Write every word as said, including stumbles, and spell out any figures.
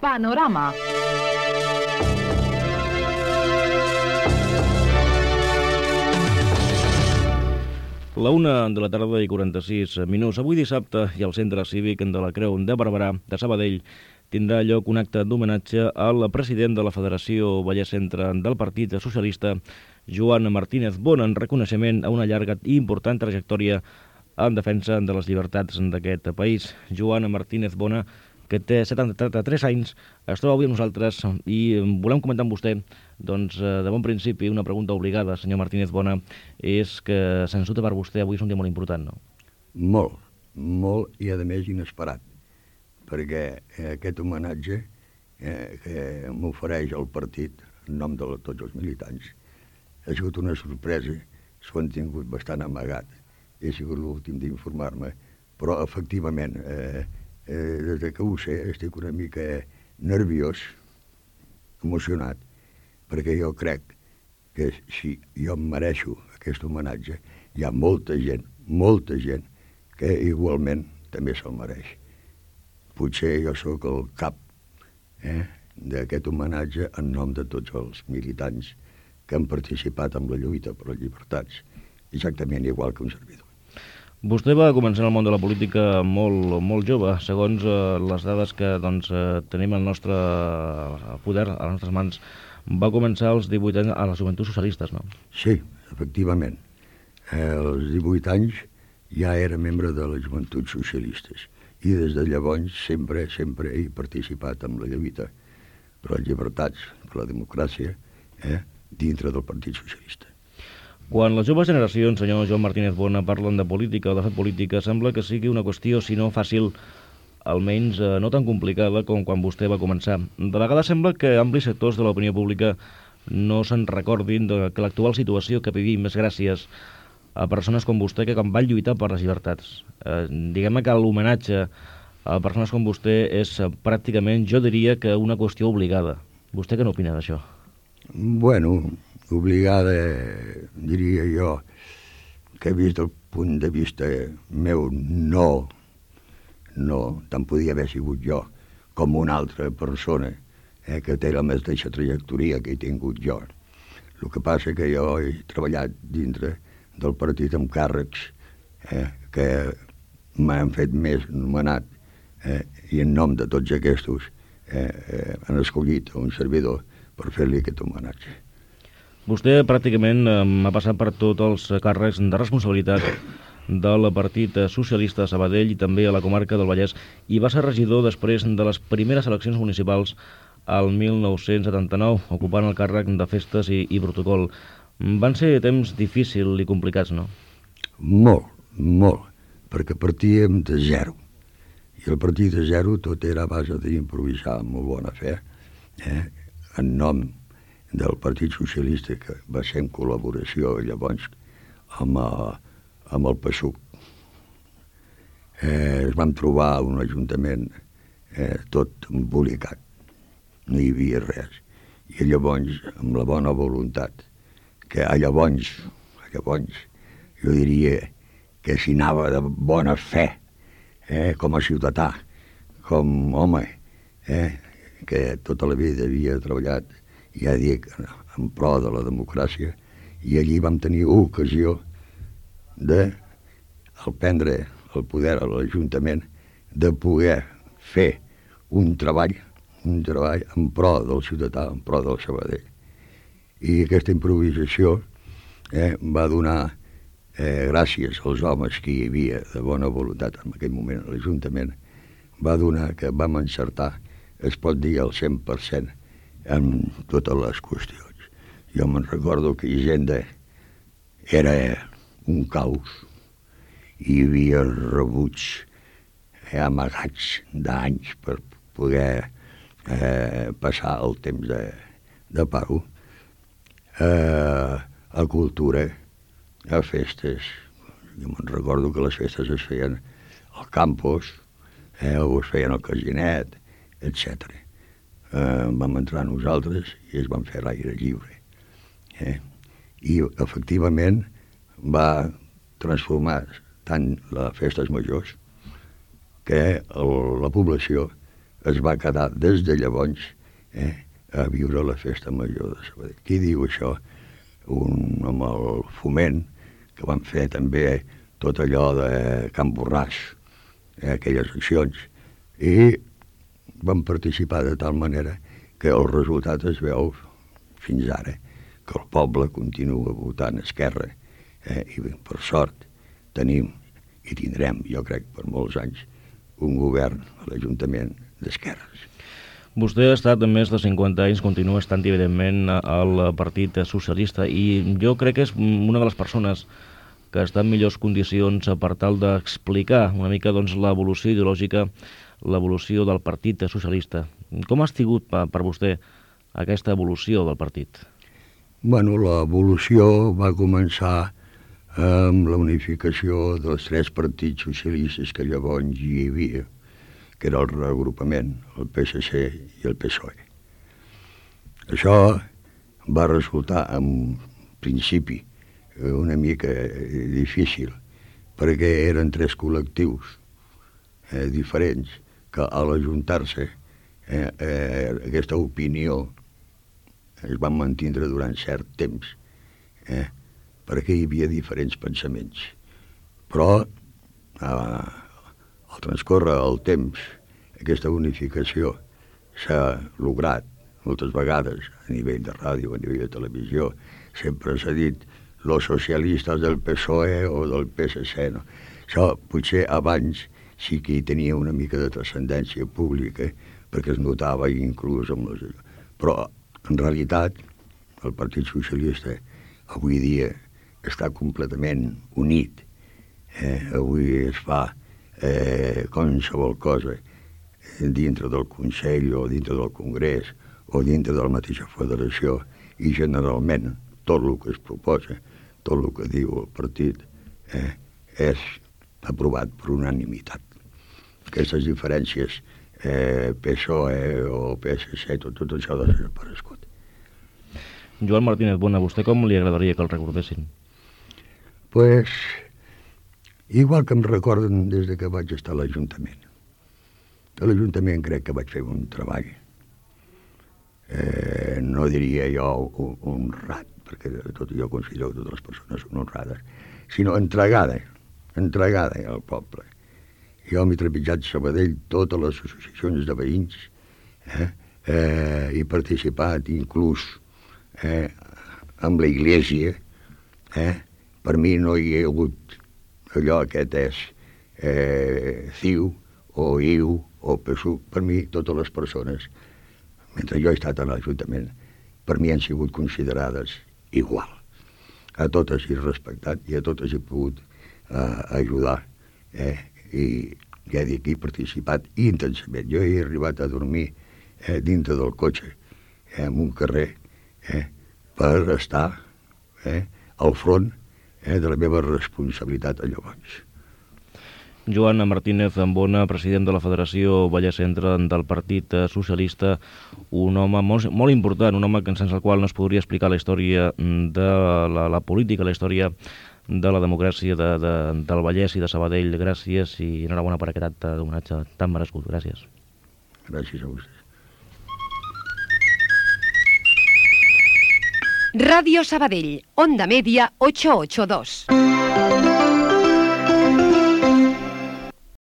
Panorama. La una de la tarda i quaranta-sis minuts. Avui dissabte i al Centre Cívic de la Creu de Barberà de Sabadell tindrà lloc un acte d'homenatge al president de la Federació Vallès Centre del Partit Socialista, Joan Martínez Bona, en reconeixement a una llarga i important trajectòria en defensa de les llibertats d'aquest país. Joan Martínez Bona, que té setanta-tres anys, es troba avui amb nosaltres i volem comentar amb vostè, doncs, de bon principi, una pregunta obligada, senyor Martínez Bona, és que sens dubte per vostè avui és un dia molt important, no? Molt, molt i a més inesperat, perquè aquest homenatge eh, que m'ofereix el partit en nom de tots els militants ha sigut una sorpresa, s'ho han tingut bastant amagat, he sigut l'últim d'informar-me, però efectivament, eh, eh, des que ho sé, estic una mica nerviós, emocionat, perquè jo crec que si jo em mereixo aquest homenatge, hi ha molta gent, molta gent, que igualment també se'l mereix. Potser jo sóc el cap eh, d'aquest homenatge en nom de tots els militants que han participat en la lluita per les llibertats, exactament igual que un servidor. Vostè va començar en el món de la política molt, molt jove, segons eh, les dades que doncs, eh, tenim al nostre poder, a les nostres mans. Va començar als divuit anys a les Joventuts Socialistes, no? Sí, efectivament. Eh, als divuit anys ja era membre de les Joventuts Socialistes i des de llavors sempre, sempre he participat en la lluita per les llibertats, per la democràcia, eh, dintre del Partit Socialista. Quan les joves generacions, senyor Joan Martínez Bona, parlen de política o de fer política, sembla que sigui una qüestió, si no fàcil, almenys eh, no tan complicada com quan vostè va començar. De vegades sembla que amplis sectors de l'opinió pública no se'n recordin de que l'actual situació que vivim és gràcies a persones com vostè que van lluitar per les llibertats. Eh, diguem-ne que l'homenatge a persones com vostè és eh, pràcticament, jo diria, que una qüestió obligada. Vostè què n'opina d'això? Bueno, obligada, diria jo, que vist del punt de vista meu, no, no, tant podia haver sigut jo com una altra persona eh, que té la mateixa trajectòria que he tingut jo. El que passa que jo he treballat dintre del partit amb càrrecs eh, que m'han fet més nomenat eh, i en nom de tots aquests eh, eh, han escollit un servidor per fer-li aquest homenatge. Vostè pràcticament eh, ha passat per tots els càrrecs de responsabilitat del Partit Socialista de Sabadell i també a la comarca del Vallès i va ser regidor després de les primeres eleccions municipals al mil nou-cents setanta-nou, ocupant el càrrec de festes i, i protocol. Van ser temps difícils i complicats, no? Molt, molt, perquè partíem de zero. I el partir de zero tot era a base d'improvisar amb molt bona fe, eh? en nom del Partit Socialista, que va ser en col·laboració llavors amb, amb el P S U C. Eh, es vam trobar un ajuntament eh, tot embolicat, no hi havia res. I llavors, amb la bona voluntat, que a llavors, a llavors, jo diria que s'hi anava de bona fe, eh, com a ciutadà, com home, eh, que tota la vida havia treballat, ja dic, en pro de la democràcia, i allí vam tenir ocasió de, al prendre el poder a l'Ajuntament, de poder fer un treball, un treball en pro del ciutadà, en pro del Sabadell. I aquesta improvisació eh, va donar, eh, gràcies als homes que hi havia de bona voluntat en aquell moment a l'Ajuntament, va donar que vam encertar, es pot dir al cent per cent, en totes les qüestions. Jo me'n recordo que Hisenda era un caos, hi havia rebuts eh, amagats d'anys per poder eh, passar el temps de, de pau. Eh, a cultura, a festes, jo me'n recordo que les festes es feien al campus, eh, o es feien al casinet, etcètera. Eh, vam entrar nosaltres i es van fer l'aire lliure. Eh? I efectivament va transformar tant les festes majors que el, la població es va quedar des de llavors eh, a viure la festa major de Sabadell. Qui diu això? Un, amb el Foment, que van fer també tot allò de Can Borràs, eh, aquelles accions, i van participar de tal manera que el resultat es veu fins ara, que el poble continua votant Esquerra, eh, i per sort tenim i tindrem, jo crec, per molts anys, un govern a l'Ajuntament d'Esquerres. Vostè ha estat més de cinquanta anys, continua estant, evidentment, al Partit Socialista, i jo crec que és una de les persones que està en millors condicions per tal d'explicar una mica doncs, l'evolució ideològica, l'evolució del Partit Socialista. Com ha estat per, per vostè aquesta evolució del partit? Bueno, l'evolució va començar amb la unificació dels tres partits socialistes que llavors hi havia, que era el reagrupament, el P S C i el P S O E. Això va resultar, en principi, una mica difícil, perquè eren tres col·lectius eh, diferents que a l'ajuntar-se eh, eh, aquesta opinió es van mantindre durant cert temps, eh, perquè hi havia diferents pensaments. Però eh, al transcórrer el temps aquesta unificació s'ha lograt moltes vegades a nivell de ràdio, a nivell de televisió. Sempre s'ha dit los socialistes del P S O E o del P S C. No? Això potser abans sí que hi tenia una mica de transcendència pública, perquè es notava inclús amb les... Però, en realitat, el Partit Socialista avui dia està completament unit. Eh? Avui es fa eh, qualsevol cosa dintre del Consell o dintre del Congrés o dintre de la mateixa federació, i generalment tot el que es proposa, tot el que diu el partit, eh, és aprovat per unanimitat. Aquestes diferències, eh, P S O E o P S C, tot, tot això ha desaparegut. Joan Martínez Bona, vostè com li agradaria que el recordessin? Pues, igual que em recorden des de que vaig estar a l'Ajuntament. A l'Ajuntament crec que vaig fer un treball, eh, no diria jo honrat, perquè tot jo considero que totes les persones són honrades, sinó entregada, entregada al poble. Jo m'he trepitjat Sabadell, totes les associacions de veïns, eh, eh, he participat inclús eh, amb la Iglésia, eh, per mi no hi ha hagut allò aquest és eh, C I U o I U o P S U, per mi totes les persones, mentre jo he estat a l'Ajuntament, per mi han sigut considerades igual. A totes he respectat i a totes he pogut eh, ajudar. Eh? I ja dic, he participat intensament. Jo he arribat a dormir eh, dintre del cotxe, eh, en un carrer, eh, per estar eh, al front eh, de la meva responsabilitat a llavors. Joan Martínez Bona, president de la Federació Vallès Centre del Partit Socialista, un home molt, molt important, un home sense el qual no es podria explicar la història de la, la política, la història de la democràcia de, de, del Vallès i de Sabadell. Gràcies i enhorabona per aquest acte d'homenatge tan merescut. Gràcies. Gràcies a vostès. Radio Sabadell, Onda Media ocho ocho dos.